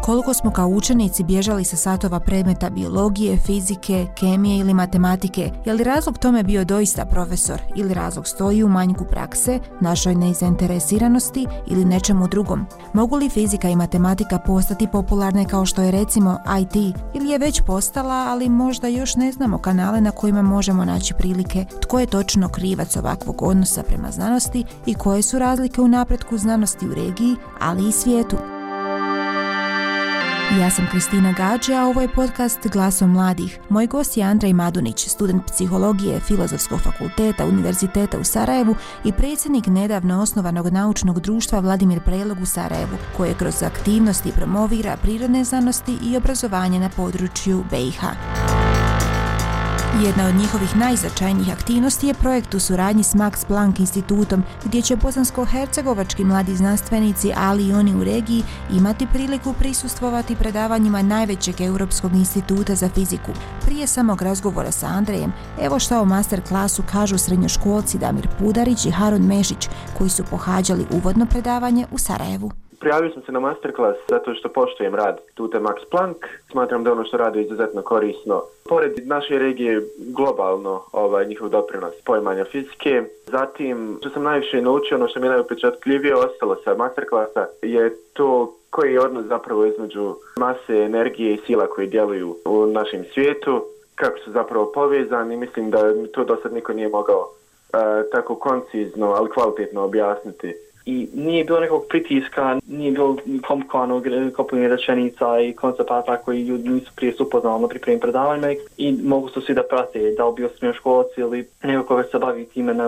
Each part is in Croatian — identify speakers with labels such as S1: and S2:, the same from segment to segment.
S1: koliko smo kao učenici bježali sa satova predmeta biologije, fizike, kemije ili matematike, je li razlog tome bio doista profesor ili razlog stoji u manjku prakse, našoj nezainteresiranosti ili nečemu drugom? Mogu li fizika i matematika postati popularne kao što je recimo IT, ili je već postala, ali možda još ne znamo kanale na kojima možemo naći prilike? Tko je točno krivac ovakvog odnosa prema znanosti i koje su razlike u napretku znanosti u regiji, ali i svijetu? Ja sam Kristina Gađe, a ovo je podcast Glasom mladih. Moj gost je Andrej Madunić, student psihologije Filozofskog fakulteta Univerziteta u Sarajevu i predsjednik nedavno osnovanog naučnog društva Vladimir Prelog u Sarajevu, koje kroz aktivnosti promovira prirodne znanosti i obrazovanje na području BiH. Jedna od njihovih najznačajnijih aktivnosti je projekt u suradnji s Max Planck institutom, gdje će bosansko-hercegovački mladi znanstvenici, ali i oni u regiji, imati priliku prisustvovati predavanjima najvećeg Europskog instituta za fiziku. Prije samog razgovora sa Andrejem, evo što o master klasu kažu srednjoškolci Damir Pudarić i Harun Mešić, koji su pohađali uvodno predavanje u Sarajevu.
S2: Prijavio sam se na masterclass zato što poštujem rad Tute Max Planck. Smatram da ono što radi je izuzetno korisno. Pored naše regije globalno njihov doprinos poimanja fizike. Zatim, što sam najviše naučio, ono što mi je najupečatljivije ostalo sa masterclassa je to koji je odnos zapravo između mase, energije i sila koji djeluju u našem svijetu, kako su zapravo povezani. Mislim da to do sad niko nije mogao tako koncizno, ali kvalitetno objasniti. I nije bilo nekog pritiska, nije bilo komplikovanog kopljanja rečenica i koncepata koji ljudi nisu prije upoznali na pripremim predavanjima i mogu se svi da prate, da li bio srednjoškolac ili neko koga se bavi time na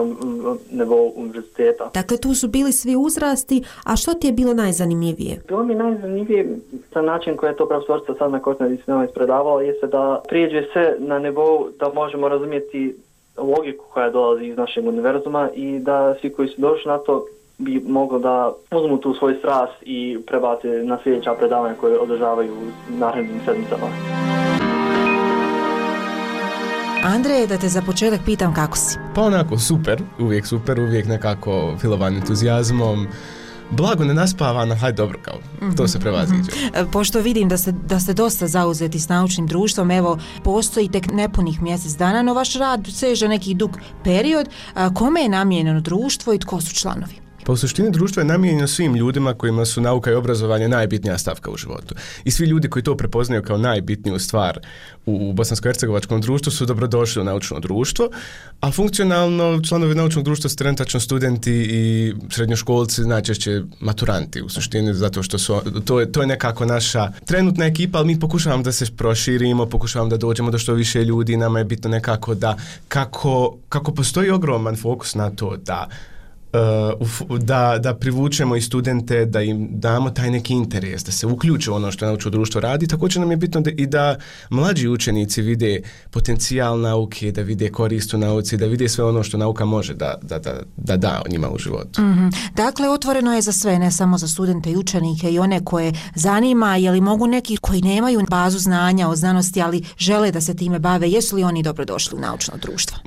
S2: nivou univerziteta.
S3: Dakle, tu su bili svi uzrasti, a što ti je bilo najzanimljivije?
S2: Bilo mi najzanimljivije sa način koji je to profesorica sad na Korsnoj disciplinama ispredavala jeste da prijeđe se na nivou da možemo razumjeti logiku koja dolazi iz našeg univerzuma i da svi koji su došli na to bi moglo da uzmu tu svoj strast i prebace na sljedeća predavanja koje održavaju u narednim sedmicama.
S1: Andrej, da te za početak pitam kako si?
S4: Pa onako super, uvijek nekako filovan entuzijazmom. Blago nenaspavana, hajde dobro kao, to se prevaziđe.
S1: Pošto vidim da ste dosta zauzeti s naučnim društvom, evo, postoji tek nepunih mjesec dana, no vaš rad seže neki dug period. Kome je namijenjeno društvo i tko su članovi?
S4: Pa u suštini društvo je namijenjeno svim ljudima kojima su nauka i obrazovanje najbitnija stavka u životu. I svi ljudi koji to prepoznaju kao najbitniju stvar u bosansko-hercegovačkom društvu su dobrodošli u naučno društvo, a funkcionalno članovi naučnog društva su trenutačno studenti i srednjoškolci, najčešće maturanti u suštini, zato što to je nekako naša trenutna ekipa, ali mi pokušavamo da se proširimo, pokušavamo da dođemo do što više ljudi. Nama je bitno nekako da kako postoji ogroman fokus na to da privučemo i studente, da im damo taj neki interes, da se uključe u ono što naučno društvo radi. Također nam je bitno da mlađi učenici vide potencijal nauke, da vide korist u nauci, da vide sve ono što nauka može da njima u životu.
S1: Mm-hmm. Dakle, otvoreno je za sve, ne samo za studente i učenike i one koje zanima, je li mogu neki koji nemaju bazu znanja o znanosti, ali žele da se time bave, jesu li oni dobrodošli u naučno društvo?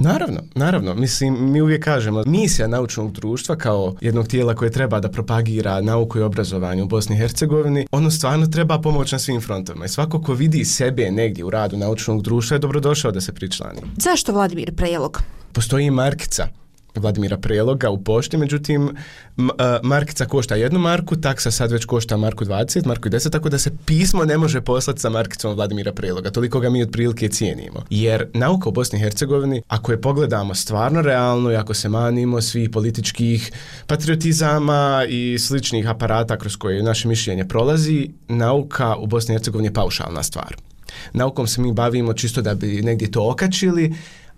S4: Naravno. Mislim, mi uvijek kažemo, misija naučnog društva kao jednog tijela koje treba da propagira nauku i obrazovanje u Bosni i Hercegovini, ono stvarno treba pomoć na svim frontovima. I svako ko vidi sebe negdje u radu naučnog društva je dobrodošao da se pričlani.
S1: Zašto Vladimir Prelog?
S4: Postoji markica Vladimira Preloga u pošti, međutim markica košta 1 marku, taksa sad već košta marku 20, marku 10, tako da se pismo ne može poslati sa markicom Vladimira Preloga, toliko ga mi otprilike cijenimo. Jer nauka u Bosni i Hercegovini, ako je pogledamo stvarno realno i ako se manimo svih političkih patriotizama i sličnih aparata kroz koje naše mišljenje prolazi, nauka u Bosni i Hercegovini je paušalna stvar. Naukom se mi bavimo čisto da bi negdje to okačili,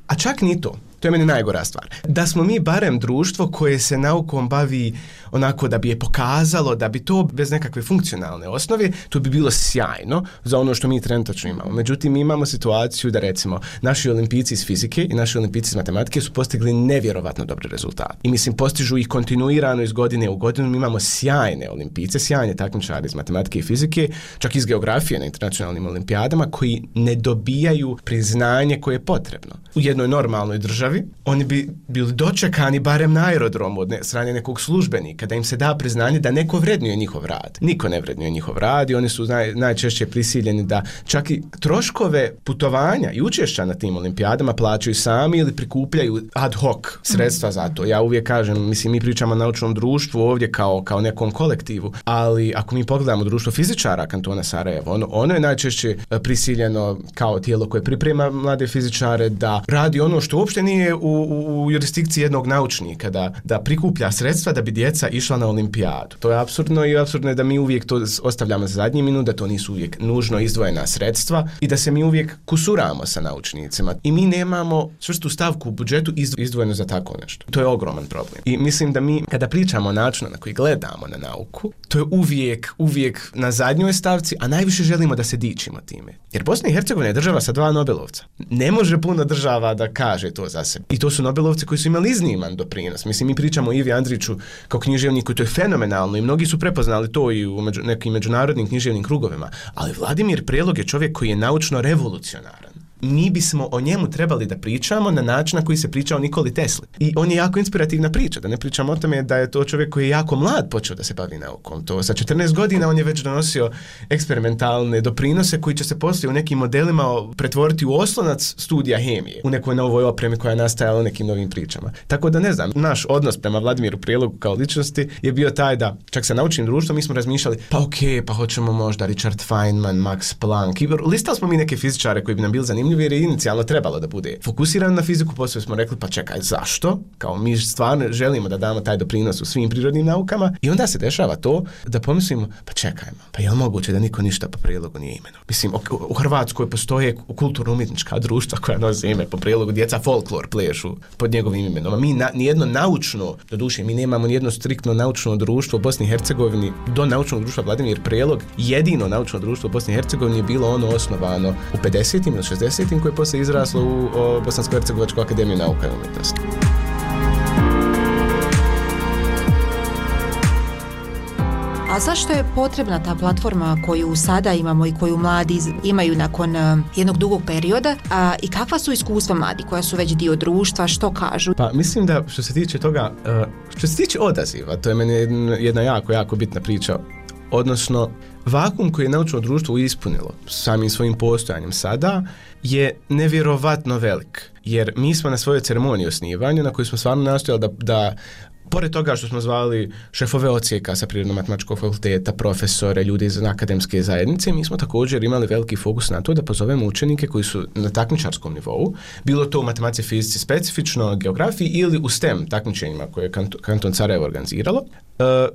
S4: a čak ni to. To je meni najgora stvar. Da smo mi barem društvo koje se naukom bavi onako da bi je pokazalo, da bi to bez nekakve funkcionalne osnove, to bi bilo sjajno za ono što mi trenutačno imamo. Međutim, mi imamo situaciju da recimo naši olimpijci iz fizike i naši olimpijci iz matematike su postigli nevjerovatno dobre rezultate. I mislim, postižu ih kontinuirano iz godine u godinu. Mi imamo sjajne olimpijce, sjajne takmičare iz matematike i fizike, čak iz geografije na internacionalnim olimpijadama koji ne dobijaju priznanje koje je potrebno. U jednoj normalnoj državi državi, oni bi bili dočekani barem na aerodromu od strane nekog službenika, da im se da priznanje da neko vrednuje njihov rad. Niko ne vrednuje njihov rad i oni su najčešće prisiljeni da čak i troškove putovanja i učešća na tim olimpijadama plaćaju sami ili prikupljaju ad hoc sredstva za to. Ja uvijek kažem, mislim, mi pričamo o naučnom društvu ovdje kao nekom kolektivu, ali ako mi pogledamo društvo fizičara Kantona Sarajevo, ono je najčešće prisiljeno kao tijelo koje priprema mlade fizičare da radi ono što uopšte nije u jurisdikciji jednog naučnika, da prikuplja sredstva da bi djeca išla na olimpijadu. To je apsurdno i apsurdno je da mi uvijek to ostavljamo za zadnji minut, da to nisu uvijek nužno izdvojena sredstva i da se mi uvijek kusuramo sa naučnicima. I mi nemamo čvrstu stavku u budžetu izdvojeno za tako nešto. To je ogroman problem. I mislim da mi, kada pričamo o načinu na koji gledamo na nauku, to je uvijek na zadnjoj stavci, a najviše želimo da se dičimo time. Jer Bosna i Hercegovina je država sa 2 Nobelovca. Ne može puno država da kaže to za sebe. I to su Nobelovci koji su imali izniman doprinos. Mislim, mi pričamo o Ivi Andriću kao književniku, to je fenomenalno i mnogi su prepoznali to i u nekim međunarodnim književnim krugovima. Ali Vladimir Prelog je čovjek koji je naučno revolucionaran. Mi bismo o njemu trebali da pričamo na način na koji se priča o Nikoli Tesli. I on je jako inspirativna priča, da ne pričamo o tome da je to čovjek koji je jako mlad počeo da se bavi naukom. To sa 14 godina on je već donosio eksperimentalne doprinose koji će se poslije u nekim modelima pretvoriti u oslonac studija hemije, u nekoj novoj opremi koja je nastajala u nekim novim pričama. Tako da ne znam, naš odnos prema Vladimiru Prelogu kao ličnosti je bio taj da čak sa naučnim društvom mi smo razmišljali, pa hoćemo možda Richard Feynman, Max Planck. Listali smo mi neke fizičare koji bi nam bili zanimljivi jer je inicijalno trebalo da bude fokusiran na fiziku, poslije smo rekli pa čekaj, zašto? Kao mi stvarno želimo da damo taj doprinos u svim prirodnim naukama i onda se dešava to da pomislimo pa čekajmo, pa je li moguće da niko ništa po Prelogu nije imenovao? Mislim, u Hrvatskoj postoje kulturno-umjetnička društva koja nose ime po Prelogu, djeca folklor plešu pod njegovim imenom. A mi nijedno naučno, doduše mi nemamo nijedno striktno naučno društvo u Bosni i Hercegovini do naučnog društva Vladimir Prelog. Jedino naučno društvo u Bosni i Hercegovini je bilo ono osnovano u 50. ili 60. koje je poslije izraslo u Bosansko-Hercegovačku akademiju nauka i umjetnosti.
S1: A zašto je potrebna ta platforma koju sada imamo i koju mladi imaju nakon jednog dugog perioda? I kakva su iskustva mladi koja su već dio društva, što kažu?
S4: Pa mislim da što se tiče toga, što se tiče odaziva, to je meni jedna jako bitna priča. Odnosno, vakuum koji je naučno društvo ispunilo samim svojim postojanjem sada je nevjerovatno velik. Jer mi smo na svojoj ceremoniji osnivanja, na kojoj smo stvarno nastojali da pored toga što smo zvali šefove odsjeka sa Prirodno-matematičkog fakulteta, profesore, ljudi iz akademske zajednice, mi smo također imali veliki fokus na to da pozovemo učenike koji su na takmičarskom nivou, bilo to u matematici, fizici specifično, geografiji ili u STEM takmičenjima koje je Kanton Sarajevo organiziralo,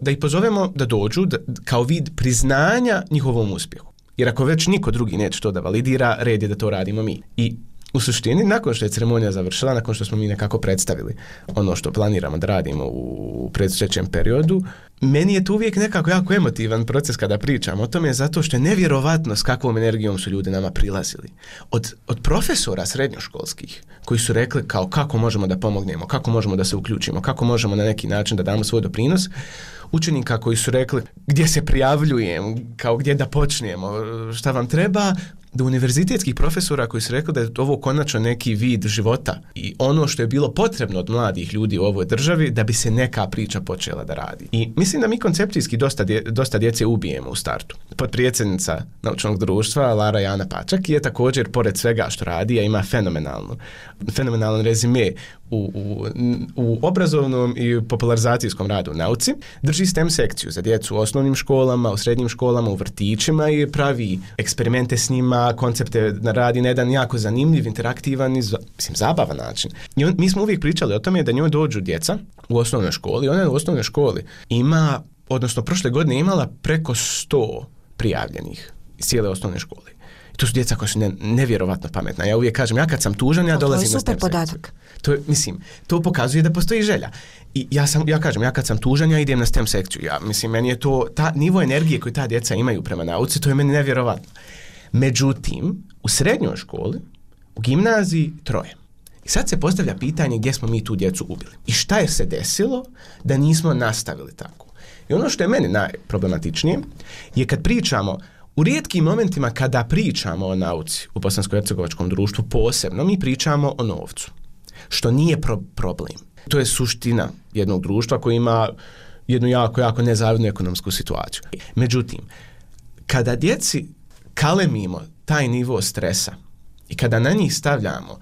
S4: da ih pozovemo da dođu kao vid priznanja njihovom uspjehu. Jer ako već niko drugi neće to da validira, red je da to radimo mi. I u suštini, nakon što je ceremonija završila, nakon što smo mi nekako predstavili ono što planiramo da radimo u predstojećem periodu, meni je to uvijek nekako jako emotivan proces kada pričam o tome, zato što je nevjerovatno s kakvom energijom su ljudi nama prilazili. Od profesora srednjoškolskih koji su rekli kao kako možemo da pomognemo, kako možemo da se uključimo, kako možemo na neki način da damo svoj doprinos, učenika koji su rekli gdje se prijavljujem, kao gdje da počnemo, šta vam treba, do univerzitetskih profesora koji su rekli da je ovo konačno neki vid života i ono što je bilo potrebno od mladih ljudi u ovoj državi da bi se neka priča počela da radi. I mislim da mi koncepcijski dosta djece ubijemo u startu. Potpredsjednica naučnog društva Lara Jana Pačak je također, pored svega što radi, a ima fenomenalan rezime u obrazovnom i popularizacijskom radu u nauci, drži STEM sekciju za djecu u osnovnim školama, u srednjim školama, u vrtićima i pravi eksperimente s njima, koncepte radi na jedan jako zanimljiv, interaktivan i zabavan način. I mi smo uvijek pričali o tome da njoj dođu djeca u osnovnoj školi. Ona u osnovnoj školi ima, odnosno prošle godine imala preko 100 prijavljenih iz cijele osnovne škole. I to su djeca koja su nevjerovatno pametna. Ja uvijek kažem, ja kad sam tužan, ja dolazim na STEM sekciju. To pokazuje da postoji želja. I ja kažem, ja kad sam tužan, ja idem na STEM sekciju. Meni je to, nivo energije koju ta djeca imaju prema nauci, to je meni nevjerovatno. Međutim, u srednjoj školi, u gimnaziji 3. I sad se postavlja pitanje gdje smo mi tu djecu ubili. I šta je se desilo da nismo nastavili tako. I ono što je meni najproblematičnije je kad pričamo, u rijetkim momentima kada pričamo o nauci u bosansko-hercegovačkom društvu posebno, mi pričamo o novcu. što nije problem. To je suština jednog društva koji ima jednu jako nezavidnu ekonomsku situaciju. Međutim, kada djeci kalemimo taj nivo stresa i kada na njih stavljamo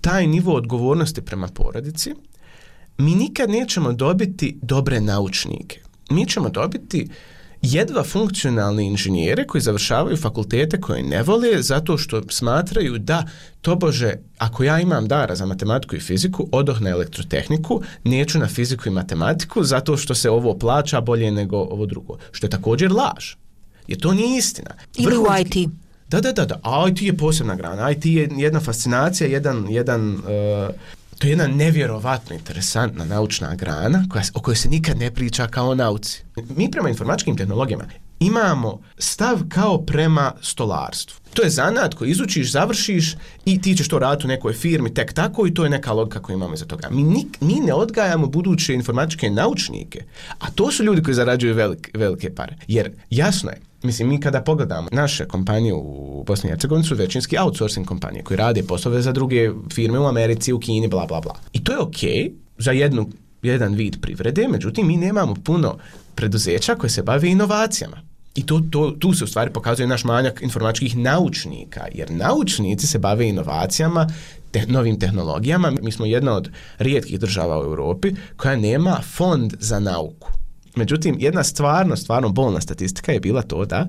S4: taj nivo odgovornosti prema porodici, mi nikad nećemo dobiti dobre naučnike. Mi ćemo dobiti jedva funkcionalne inženjere koji završavaju fakultete koje ne vole zato što smatraju da, tobože, ako ja imam dara za matematiku i fiziku, odoh na elektrotehniku, neću na fiziku i matematiku zato što se ovo plaća bolje nego ovo drugo. Što je također laž. Jer to nije istina.
S1: Ili u IT.
S4: Da. IT je posebna grana. IT je jedna fascinacija, to je jedna nevjerovatno interesantna naučna grana o kojoj se nikad ne priča kao o nauci. Mi prema informatičkim tehnologijama imamo stav kao prema stolarstvu. To je zanat koji izučiš, završiš i ti ćeš to raditi u nekoj firmi tek tako i to je neka logika koju imamo iza toga. Mi ne odgajamo buduće informatičke naučnike, a to su ljudi koji zarađuju velike pare. Jer jasno je, mislim, mi kada pogledamo naše kompanije u Bosni i Hercegovini su većinski outsourcing kompanije koji rade poslove za druge firme u Americi, u Kini, bla, bla, bla. I to je okej za jedan vid privrede, međutim, mi nemamo puno preduzeća koje se bave inovacijama. I tu se u stvari pokazuje naš manjak informatičkih naučnika, jer naučnici se bave inovacijama, novim tehnologijama. Mi smo jedna od rijetkih država u Europi koja nema fond za nauku. Međutim, jedna stvarno bolna statistika je bila to da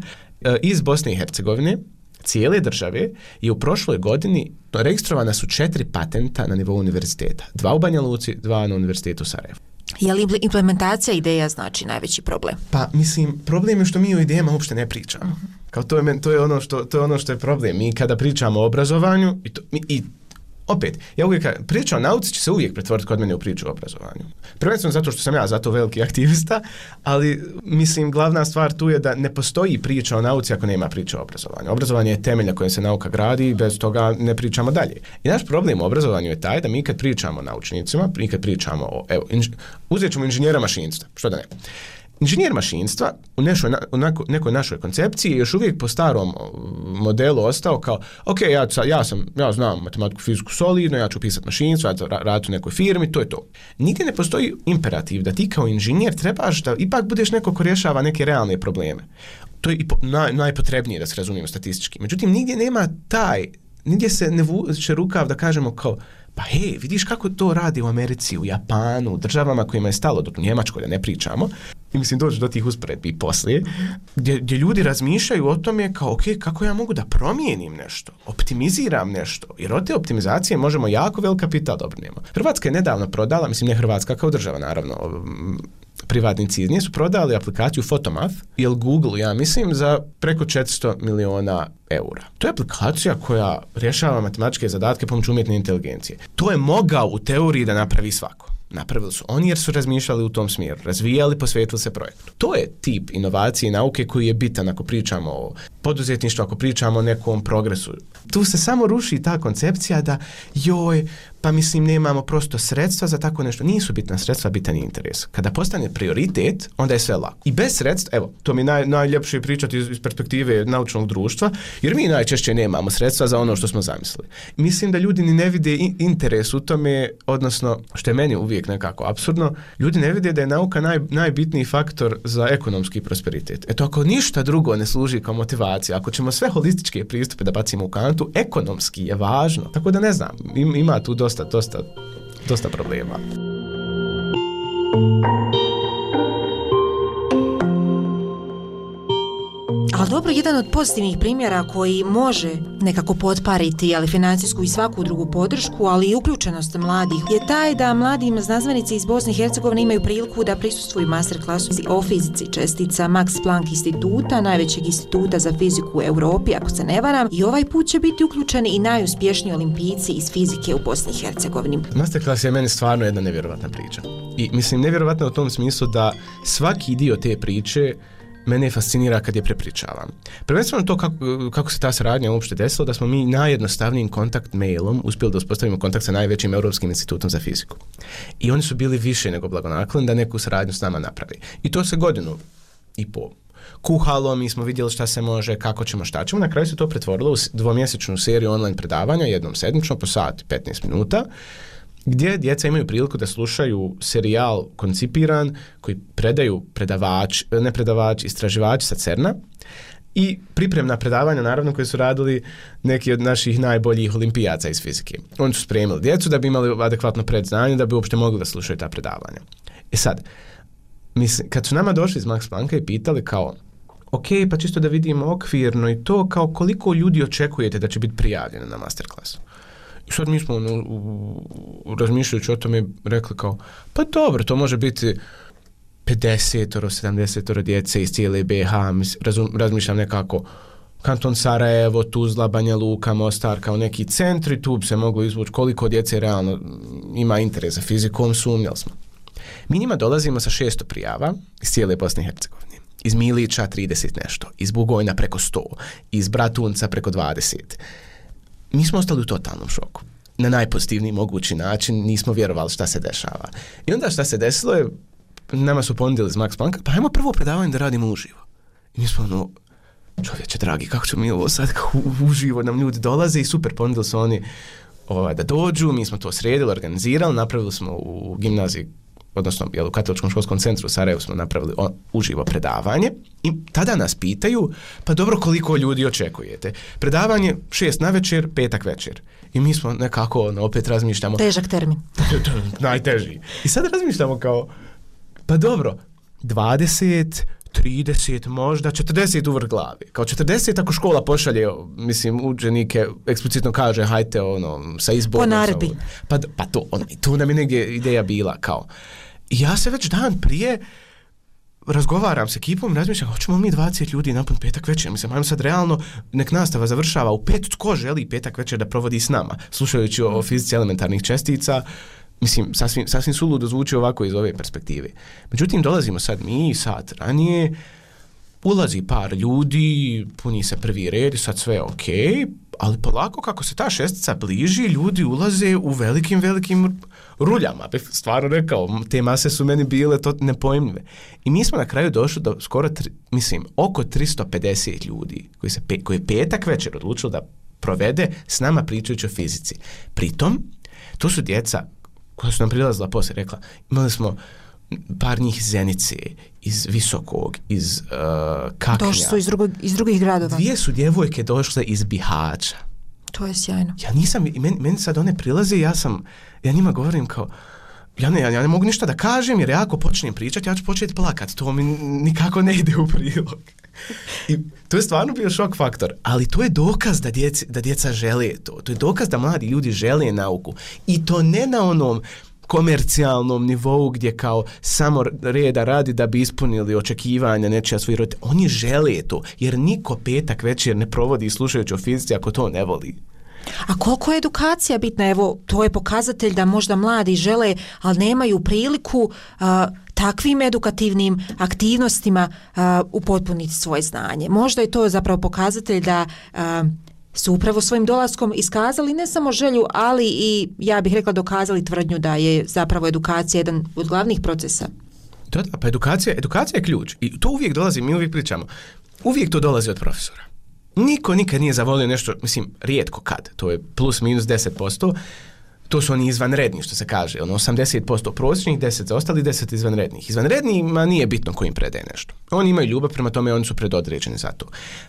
S4: iz Bosne i Hercegovine, cijele države, je u prošloj godini registrovana su 4 patenta na nivou univerziteta. 2 u Banja Luci, 2 na univerzitetu u Sarajevu.
S1: Je li implementacija ideja znači najveći problem?
S4: Pa, mislim, problem je što mi o idejama uopšte ne pričamo. Kao to je ono što je problem. Mi kada pričamo o obrazovanju opet, ja uvijek priča o nauci će se uvijek pretvoriti kod mene u priču o obrazovanju. Prvenstveno zato što sam ja zato veliki aktivista, ali mislim glavna stvar tu je da ne postoji priča o nauci ako nema priča o obrazovanju. Obrazovanje je temelj na kojem se nauka gradi i bez toga ne pričamo dalje. I naš problem u obrazovanju je taj da mi kad pričamo o naučnicima, mi kad pričamo o, uzet ćemo inženjera mašinstva, što da ne. Inženjer mašinstva u nekoj našoj koncepciji je još uvijek po starom modelu ostao kao, ok, ja znam matematiku, fiziku solidno, ja ću pisati mašinstvo, raditi u nekoj firmi, to je to. Nigdje ne postoji imperativ da ti kao inženjer trebaš da ipak budeš neko ko rješava neke realne probleme. To je i najpotrebnije da se razumijemo statistički. Međutim, nigdje se ne vuče rukav da kažemo kao, pa hej, vidiš kako to radi u Americi, u Japanu, u državama kojima je stalo, dok u Njemačkoj da ne pričamo, i mislim doći do tih usporedbi i poslije, gdje ljudi razmišljaju o tome kao, ok, kako ja mogu da promijenim nešto, optimiziram nešto, jer od te optimizacije možemo jako velik kapital dobrijemo. Hrvatska je nedavno prodala, mislim ne Hrvatska kao država, naravno, privatnici iz nje su prodali aplikaciju Photomath ili Google, ja mislim, za preko 400 miliona eura. To je aplikacija koja rješava matematičke zadatke pomoću umjetne inteligencije. To je mogao u teoriji da napravi svako. Napravili su oni jer su razmišljali u tom smjeru, razvijali, posvetili se projektu. To je tip inovacije i nauke koji je bitan ako pričamo o poduzetništvu, ako pričamo o nekom progresu. Tu se samo ruši ta koncepcija da pa mislim nemamo prosto sredstva za tako nešto. Nisu bitna sredstva, bitan je interes. Kada postane prioritet, onda je sve lako. I bez sredstva, evo, to mi najljepše pričati iz perspektive naučnog društva, jer mi najčešće nemamo sredstva za ono što smo zamislili. Mislim da ljudi ni ne vide interes u tome, odnosno, što je meni uvijek nekako apsurdno, ljudi ne vide da je nauka najbitniji faktor za ekonomski prosperitet. Eto, ako ništa drugo ne služi kao motivacija, ako ćemo sve holističke pristupe da bacimo u kantu, ekonomski je važno. Tako da ne znam, ima tu dosta problema.
S1: Ali dobro, jedan od pozitivnih primjera koji može nekako potpariti financijsku i svaku drugu podršku, ali i uključenost mladih, je taj da mladi znanstvenici iz Bosne i Hercegovine imaju priliku da prisustvuju masterklasu o fizici čestica Max Planck instituta, najvećeg instituta za fiziku u Europi, ako se ne varam, i ovaj put će biti uključeni i najuspješniji olimpijci iz fizike u Bosni i Hercegovini.
S4: Masterclass je meni stvarno jedna nevjerovatna priča. I mislim, nevjerovatna u tom smislu da svaki dio te priče mene fascinira kad je prepričavam. Prvenstveno to kako se ta saradnja uopšte desila, da smo mi najjednostavnijim kontakt mailom uspjeli da uspostavimo kontakt sa najvećim Europskim institutom za fiziku. I oni su bili više nego blagonakloni da neku saradnju s nama napravi. I to se 1.5 godina kuhalo, mi smo vidjeli šta se može, kako ćemo, šta ćemo. Na kraju se to pretvorilo u 2-mjesečnu seriju online predavanja, jednom sedmično, po sat 15 minuta, gdje djeca imaju priliku da slušaju serijal koncipiran koji predaju istraživači sa CERN-a i pripremna predavanja, naravno, koje su radili neki od naših najboljih olimpijaca iz fizike. Oni su spremili djecu da bi imali adekvatno predznanje, da bi uopšte mogli da slušaju ta predavanja. Sad, kad su nama došli iz Max Plancka i pitali kao, ok, pa čisto da vidimo okvirno i to, kao koliko ljudi očekujete da će biti prijavljeno na masterklasu. I sad mi smo razmišljajući o tome rekli kao, pa dobro, to može biti 50-70 djece iz cijele BiH, razmišljam nekako kanton Sarajevo, Tuzla, Banja Luka, Mostar kao neki centri, tu bi se moglo izvući koliko djece realno ima interes za fizikom, sumnjali smo. Mi njima dolazimo sa 600 prijava iz cijele Bosne i Hercegovine. Iz Milića 30 nešto, iz Bugojna preko 100, iz Bratunca preko 20. Mi smo ostali u totalnom šoku. Na najpozitivniji mogući način, nismo vjerovali šta se dešava. I onda šta se desilo je, nama su ponudili iz Max Plancka, pa ajmo prvo predavanje da radimo uživo. I mi smo čovječe dragi, kako ćemo mi ovo sad uživo, nam ljudi dolaze i super, ponudili su oni da dođu, mi smo to sredili, organizirali, napravili smo u gimnaziji, odnosno u Katoličkom školskom centru u Sarajevu smo napravili uživo predavanje i tada nas pitaju, pa dobro, koliko ljudi očekujete? Predavanje 6 navečer, petak večer. I mi smo nekako, opet razmišljamo...
S1: Težak termin.
S4: Najteži. I sad razmišljamo kao, pa dobro, 20, 30, možda 40 uvrh glavi. Kao 40 ako škola pošalje, učenike, eksplicitno kaže, hajte sa izborom.
S1: Po naredbi.
S4: Pa to, tu nam je negdje ideja bila, kao. I ja se već dan prije razgovaram s ekipom i razmišljam, hoćemo mi 20 ljudi napun petak večer. Ajmo sad realno, nek nastava završava u 5, tko želi petak večer da provodi s nama, slušajući o fizici elementarnih čestica. Sasvim suludo zvuči ovako iz ove perspektive. Međutim, dolazimo sad mi, sat ranije, ulazi par ljudi, puni se prvi red i sad sve je ok, ali polako kako se ta šestica bliži, ljudi ulaze u velikim ruljama. Stvarno rekao, te mase su meni bile to nepojmljive. I mi smo na kraju došli do skoro, oko 350 ljudi koji je petak večer odlučilo da provede s nama pričajući o fizici. Pritom, to su djeca koja su nam prilazila poslije, rekla, imali smo par njih iz Zenice, iz Visokog, iz Kaknja.
S1: Došli su iz drugih gradova.
S4: 2 su djevojke došle iz Bihaća.
S1: To je sjajno.
S4: Ja nisam, meni sad one prilaze i ja njima govorim kao, ja ne mogu ništa da kažem jer ja ako počnem pričati, ja ću početi plakati, to mi nikako ne ide u prilog. I to je stvarno bio šok faktor, ali to je dokaz da djeca žele to. To je dokaz da mladi ljudi žele nauku. I to ne na onom komercijalnom nivou gdje kao samo reda radi da bi ispunili očekivanja nečija svojih roditelja. Oni žele to, jer niko petak večer ne provodi slušajući o fizici ako to ne voli.
S1: A koliko je edukacija bitna? Evo, to je pokazatelj da možda mladi žele, ali nemaju priliku takvim edukativnim aktivnostima upotpuniti svoje znanje. Možda je to zapravo pokazatelj da su upravo svojim dolaskom iskazali ne samo želju, ali i, ja bih rekla, dokazali tvrdnju da je zapravo edukacija jedan od glavnih procesa.
S4: Da, pa edukacija je ključ. I to uvijek dolazi, mi uvijek pričamo, uvijek to dolazi od profesora. Niko nikad nije zavolio nešto, rijetko kad, to je plus minus 10%, to su oni izvanredni, što se kaže, 80% prosječnih, 10 za ostali, 10 izvanrednih. Izvanrednima nije bitno ko im predaje nešto. Oni imaju ljubav, prema tome oni su predodređeni za to.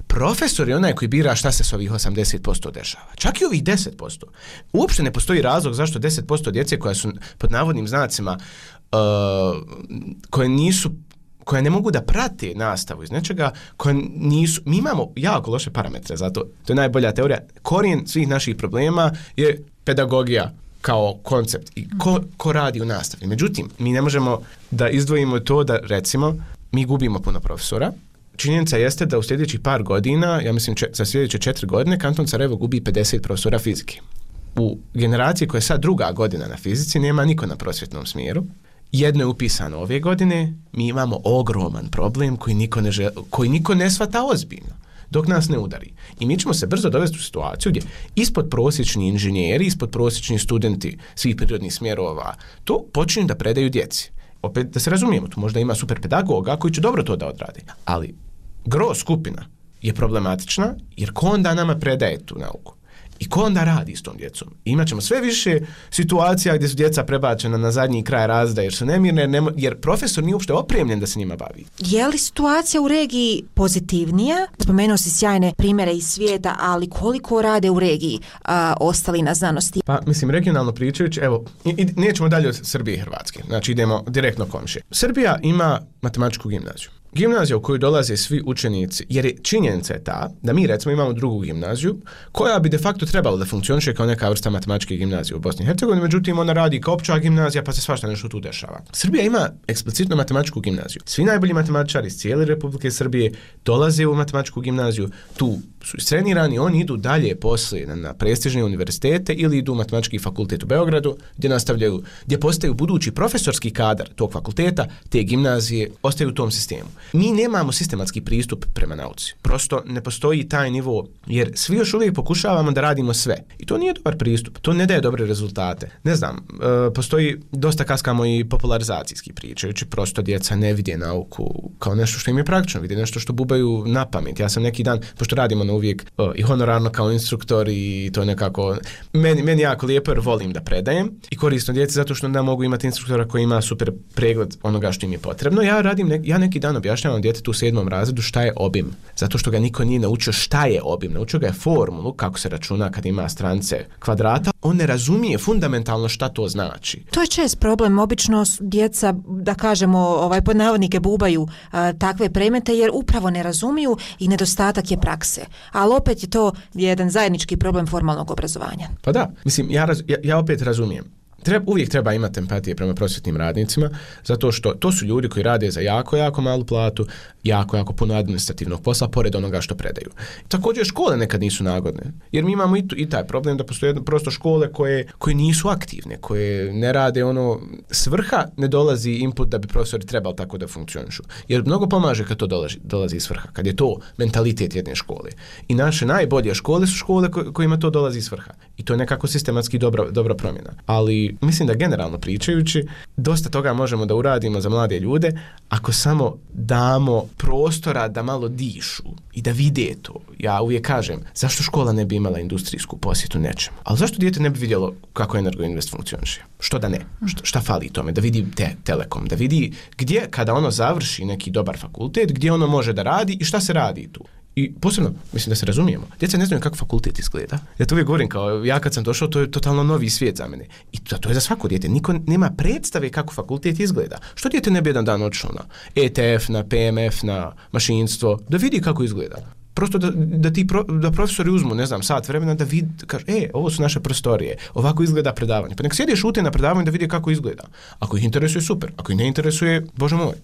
S4: Profesor je onaj koji bira šta se s ovih 80% dešava. Čak i ovih 10%. Uopšte ne postoji razlog zašto 10% djece koja su pod navodnim znacima, koje ne mogu da prate nastavu iz nečega, mi imamo jako loše parametre za to. To je najbolja teorija. Korijen svih naših problema je pedagogija kao koncept i ko radi u nastavi. Međutim, mi ne možemo da izdvojimo to da, recimo, mi gubimo puno profesora. Činjenica jeste da u sljedećih par godina, ja mislim za sljedeće 4 godine, kanton Sarajevo gubi 50 profesora fizike. U generaciji koja je sad 2. godina na fizici nema niko na prosvjetnom smjeru. Jedno je upisano ove godine, mi imamo ogroman problem koji niko ne shvata ozbiljno, dok nas ne udari. I mi ćemo se brzo dovesti u situaciju gdje ispod prosječni inženjeri, ispod prosječni studenti svih prirodnih smjerova to počinju da predaju djeci. Opet da se razumijemo, tu možda ima super pedagoga koji će dobro to da odradi, ali gro skupina je problematična jer ko onda nama predaje tu nauku. I ko onda radi s tom djecom? Imaćemo sve više situacija gdje su djeca prebačena na zadnji kraj razreda jer su nemirne, jer profesor nije uopšte opremljen da se njima bavi.
S1: Je li situacija u regiji pozitivnija? Spomenuo si sjajne primjere iz svijeta, ali koliko rade u regiji ostali na znanosti?
S4: Pa, mislim, regionalno pričajući, evo, nećemo dalje od Srbije i Hrvatske, znači idemo direktno komšije. Srbija ima matematičku gimnaziju. Gimnazija u koju dolaze svi učenici, jer je činjenica je ta da mi recimo imamo drugu gimnaziju koja bi de facto trebala da funkcioniše kao neka vrsta matematičke gimnazije u Bosni i Hercegovini, međutim ona radi kao opća gimnazija pa se svašta nešto tu dešava. Srbija ima eksplicitno matematičku gimnaziju. Svi najbolji matematičari iz cijele Republike Srbije dolaze u matematičku gimnaziju, tu su istrenirani, oni idu dalje poslije na prestižne univerzitete ili idu u matematički fakultet u Beogradu gdje nastavljaju, gdje postaju budući profesorski kadar tog fakulteta, te gimnazije, ostaju u tom sistemu. Mi nemamo sistematski pristup prema nauci. Prosto ne postoji taj nivo, jer svi još uvijek pokušavamo da radimo sve. I to nije dobar pristup, to ne daje dobre rezultate. Ne znam, postoji dosta kaskamo i popularizacijski pričajući, prosto djeca ne vide nauku kao nešto što im je praktično, vide nešto što bubaju na pamet. Ja sam neki dan, pošto radimo na uvijek i honorarno kao instruktor i to nekako, meni jako lijepo jer volim da predajem i korisno djeci zato što onda mogu imati instruktora koji ima super pregled onoga što im je potrebno. Ja neki dan objašnjavam djetetu u 7. razredu šta je obim, zato što ga niko nije naučio šta je obim, naučio ga je formulu kako se računa kad ima strance kvadrata, on ne razumije fundamentalno šta to znači.
S1: To je čest problem, obično djeca, da kažemo, pod navodnike bubaju takve predmete jer upravo ne razumiju i nedostatak je prakse. Ali opet je to jedan zajednički problem formalnog obrazovanja.
S4: Pa da, mislim, ja opet razumijem. Uvijek treba imati empatije prema prosvjetnim radnicima, zato što to su ljudi koji rade za jako, jako malu platu, jako puno administrativnog posla, pored onoga što predaju. Također škole nekad nisu nagodne, jer mi imamo i taj problem da postoje prosto škole koje nisu aktivne, koje ne rade svrha ne dolazi input da bi profesori trebali tako da funkcionišu. Jer mnogo pomaže kad to dolazi iz svrha, kad je to mentalitet jedne škole. I naše najbolje škole su škole kojima to dolazi iz svrha. I to je nekako sistematski dobra promjena. Ali mislim da generalno pričajući, dosta toga možemo da uradimo za mlade ljude ako samo damo prostora da malo dišu i da vide to. Ja uvijek kažem, zašto škola ne bi imala industrijsku posjetu nečemu? Ali zašto dijete ne bi vidjelo kako Energoinvest funkcioniše? Što da ne? Šta fali tome? Da vidi Telekom, da vidi gdje kada ono završi neki dobar fakultet, gdje ono može da radi i šta se radi tu. I posebno, mislim da se razumijemo, djeca ne znaju kako fakultet izgleda. Ja to uvijek govorim kao, ja kad sam došao, to je totalno novi svijet za mene. I to je za svako dijete. Niko nema predstave kako fakultet izgleda. Što dijete ne bi jedan dan otišlo na ETF, na PMF, na mašinstvo, da vidi kako izgleda. Prosto da profesori uzmu, ne znam, sat vremena da vidi, kaže, ovo su naše prostorije, ovako izgleda predavanje. Pa nek sjede šute na predavanju da vidi kako izgleda. Ako ih interesuje, super. Ako ih ne interesuje, Bože moj.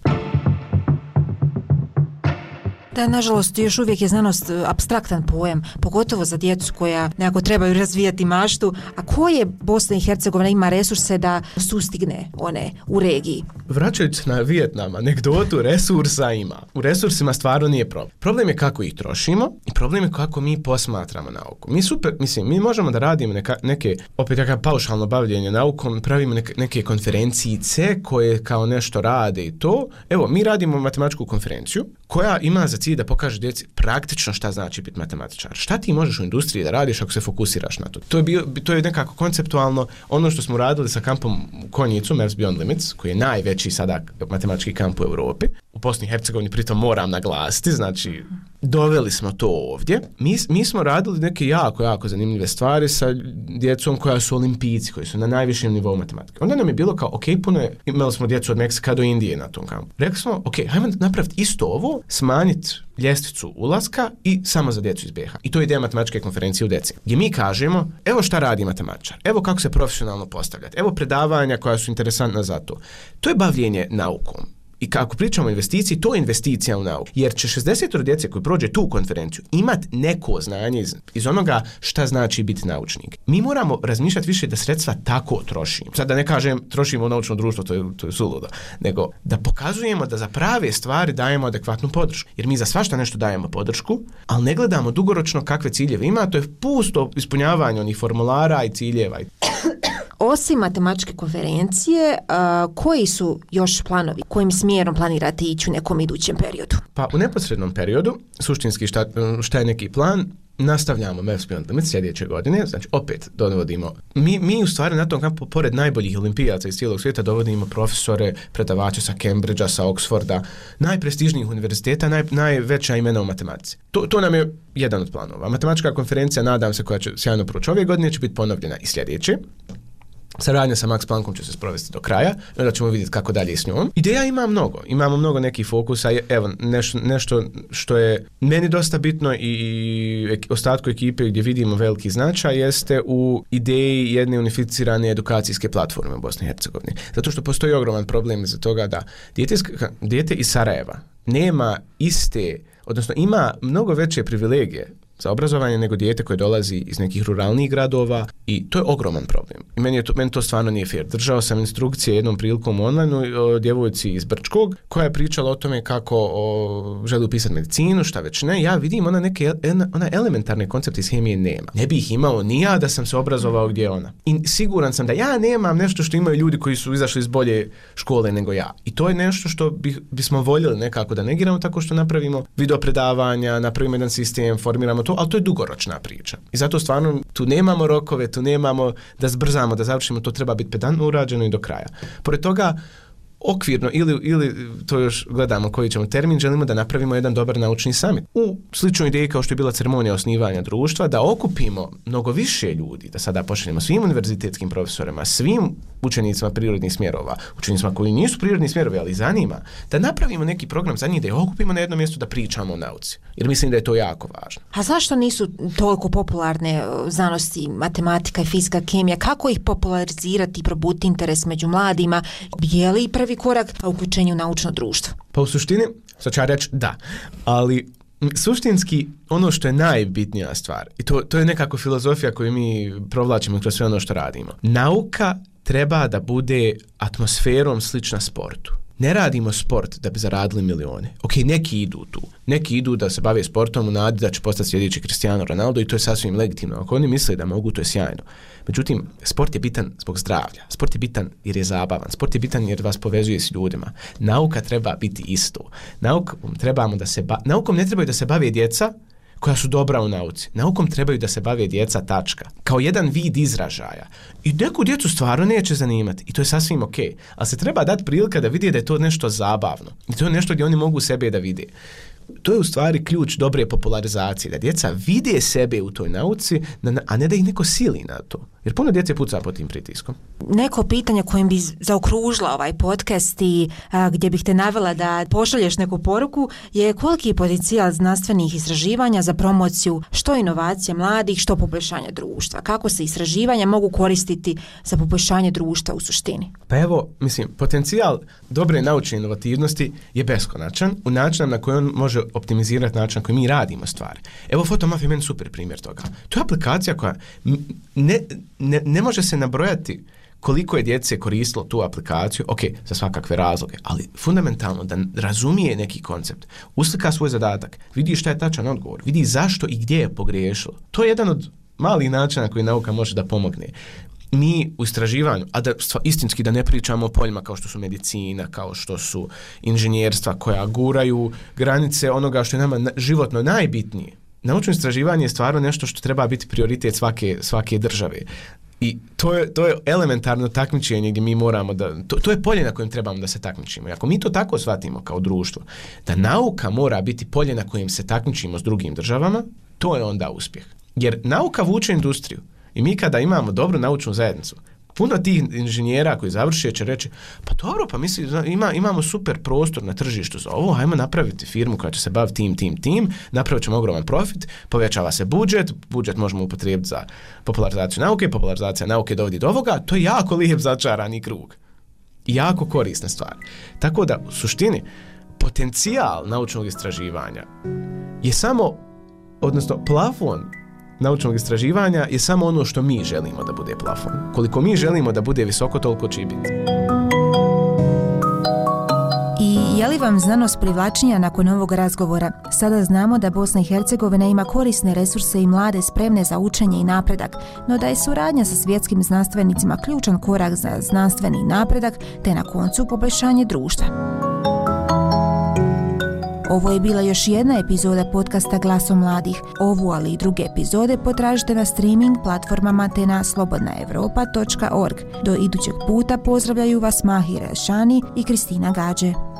S1: Da, nažalost, još uvijek je znanost apstraktan pojam, pogotovo za djecu koja nekako trebaju razvijati maštu. A koje Bosna i Hercegovina ima resurse da sustigne one u regiji?
S4: Vraćajući se na Vijetnam, anegdotu resursa ima. U resursima stvarno nije problem. Problem je kako ih trošimo i problem je kako mi posmatramo nauku. Mi možemo da radimo neke opet paušalno bavljenje naukom, pravimo neke konferencijice koje kao nešto rade i to. Evo, mi radimo matematičku konferenciju koja ima za cilj da pokaže djeci praktično šta znači biti matematičar. Šta ti možeš u industriji da radiš ako se fokusiraš na to? To je nekako konceptualno ono što smo radili sa kampom u Konjicu, Maths Beyond Limits, koji je najveći sada matematički kamp u Europi. U Bosni i Hercegovini pritom moram naglasiti, znači doveli smo to ovdje. Mi smo radili neke jako zanimljive stvari sa djecom koja su olimpijci, koji su na najvišem nivou matematike. Onda nam je bilo kao, imali smo djecu od Meksika do Indije na tom kampu. Rekli smo, hajmo napraviti isto ovo, smanjiti ljestvicu ulaska i samo za djecu iz BiH. I to je ideja matematičke konferencije u deci. Gdje mi kažemo, evo šta radi matematičar, evo kako se profesionalno postavljati, evo predavanja koja su interesantna za to. To je bavljenje naukom. I kako pričamo o investiciji, to je investicija u nauku. Jer će 60 djece koji prođe tu konferenciju imat neko znanje iz onoga šta znači biti naučnik. Mi moramo razmišljati više da sredstva tako trošimo. Sad da ne kažem trošimo u naučno društvo, to je suludo. Nego da pokazujemo da za prave stvari dajemo adekvatnu podršku. Jer mi za svašta nešto dajemo podršku, ali ne gledamo dugoročno kakve ciljeve ima, to je pusto ispunjavanje onih formulara i ciljeva.
S1: Osim matematičke konferencije, koji su još planovi? Kojim smjerom planirate ići u nekom idućem periodu?
S4: Pa u neposrednom periodu, suštinski šta je neki plan, nastavljamo MEFS Beyond Limits sljedeće godine, znači opet dovodimo, mi u stvari na tom kampu, pored najboljih olimpijaca iz cijelog svijeta, dovodimo profesore, predavače sa Cambridgea, sa Oxforda, najprestižnijih univerziteta, najveća imena u matematici. To nam je jedan od planova. Matematička konferencija, nadam se, koja će sjajno proći ove godine, će biti ponovljena i sljedeće. Saradnja sa Max Planckom će se sprovesti do kraja i onda ćemo vidjeti kako dalje s njom. Ideja imamo mnogo nekih fokusa. Evo, nešto što je meni dosta bitno i ostatku ekipe gdje vidimo veliki značaj jeste u ideji jedne unificirane edukacijske platforme u Bosni i Hercegovini. Zato što postoji ogroman problem iza toga da dijete iz Sarajeva nema odnosno ima mnogo veće privilegije za obrazovanje nego dijete koje dolazi iz nekih ruralnih gradova i to je ogroman problem. I meni to stvarno nije fair. Držao sam instrukcije jednom prilikom online o djevojci iz Brčkog koja je pričala o tome kako želi upisati medicinu, šta već ne. Ja vidim ona elementarne koncepte iz hemije nema. Ne bi ih imao ni ja da sam se obrazovao gdje ona. I siguran sam da ja nemam nešto što imaju ljudi koji su izašli iz bolje škole nego ja. I to je nešto što bismo voljeli nekako da negiramo tako što napravimo video predavanja, napravimo jedan sistem, formiramo to, ali to je dugoročna priča. I zato stvarno tu nemamo rokove, tu nemamo da zbrzamo, da završimo, to treba biti pedantno urađeno i do kraja. Pored toga, okvirno ili to još gledamo koji ćemo termin, želimo da napravimo jedan dobar naučni summit. U sličnoj ideji kao što je bila ceremonija osnivanja društva, da okupimo mnogo više ljudi, da sada pošaljemo svim univerzitetskim profesorima, svim učenicima prirodnih smjerova, učenicima koji nisu prirodni smjerovi, ali zanima, da napravimo neki program za njih, da ih okupimo na jednom mjestu da pričamo o nauci. Jer mislim da je to jako važno.
S1: A zašto nisu toliko popularne znanosti, matematika i fizika, kemija? Kako ih popularizirati i probuditi interes među mladima? Je li prvi korak u uključenju u naučno društvo?
S4: Pa u suštini, sad ću ja reći da, ali suštinski ono što je najbitnija stvar, i to je nekako filozofija koju mi provlačimo kroz sve ono što radimo. Nauka treba da bude atmosferom slična sportu. Ne radimo sport da bi zaradili milione. Ok, neki idu tu. Neki idu da se bave sportom u nadi da će postati sljedeći Cristiano Ronaldo i to je sasvim legitimno. Ako oni misle da mogu, to je sjajno. Međutim, sport je bitan zbog zdravlja. Sport je bitan jer je zabavan. Sport je bitan jer vas povezuje s ljudima. Nauka treba biti isto. Naukom ne trebaju da se bave djeca koja su dobra u nauci. Naukom trebaju da se bave djeca, tačka. Kao jedan vid izražaja. I neku djecu stvarno neće zanimati. I to je sasvim ok. Ali se treba dati prilika da vidi da je to nešto zabavno. I to je nešto gdje oni mogu sebe da vide. To je u stvari ključ dobre popularizacije. Da djeca vide sebe u toj nauci, a ne da ih neko sili na to. Jer puno djece puca pod tim pritiskom.
S1: Neko pitanje kojim bi zaokružila ovaj podcast i gdje bih te navela da pošalješ neku poruku je koliki je potencijal znanstvenih istraživanja za promociju što inovacija mladih, što poboljšanje društva. Kako se istraživanja mogu koristiti za poboljšanje društva u suštini?
S4: Pa evo, potencijal dobre naučne inovativnosti je beskonačan u načinu na koji on može optimizirati način na koji mi radimo stvari. Evo, Photomaf je meni super primjer toga. To je aplikacija koja ne može se nabrojati koliko je djece koristilo tu aplikaciju, ok, za svakakve razloge, ali fundamentalno da razumije neki koncept, uslika svoj zadatak, vidi šta je tačan odgovor, vidi zašto i gdje je pogriješilo. To je jedan od malih načina koji nauka može da pomogne. Mi u istraživanju, a da istinski da ne pričamo o poljima kao što su medicina, kao što su inženjerstva koja guraju granice onoga što je nama životno najbitnije. Naučno istraživanje je stvarno nešto što treba biti prioritet svake države. I to je elementarno takmičenje gdje mi moramo to je polje na kojem trebamo da se takmičimo. I ako mi to tako shvatimo kao društvo, da nauka mora biti polje na kojem se takmičimo s drugim državama, to je onda uspjeh. Jer nauka vuče industriju. I mi kada imamo dobru naučnu zajednicu, puno tih inženjera koji završe će reći, pa dobro, pa imamo super prostor na tržištu za ovo, hajmo napraviti firmu koja će se baviti tim, napravit ćemo ogroman profit, povećava se budžet možemo upotrijebiti za popularizacija nauke dovodi do ovoga, to je jako lijep začarani krug. I jako korisna stvar. Tako da, u suštini, potencijal naučnog istraživanja je plafon naučnog istraživanja je samo ono što mi želimo da bude plafon. Koliko mi želimo da bude visoko, toliko će biti.
S1: I je li vam znanost privlačnija nakon ovog razgovora? Sada znamo da Bosna i Hercegovina ima korisne resurse i mlade spremne za učenje i napredak, no da je suradnja sa svjetskim znanstvenicima ključan korak za znanstveni napredak te na koncu poboljšanje društva. Ovo je bila još jedna epizoda podcasta Glasom mladih. Ovu, ali i druge epizode potražite na streaming platformama te na slobodnaevropa.org. Do idućeg puta pozdravljaju vas Mahir Elšani i Kristina Gađe.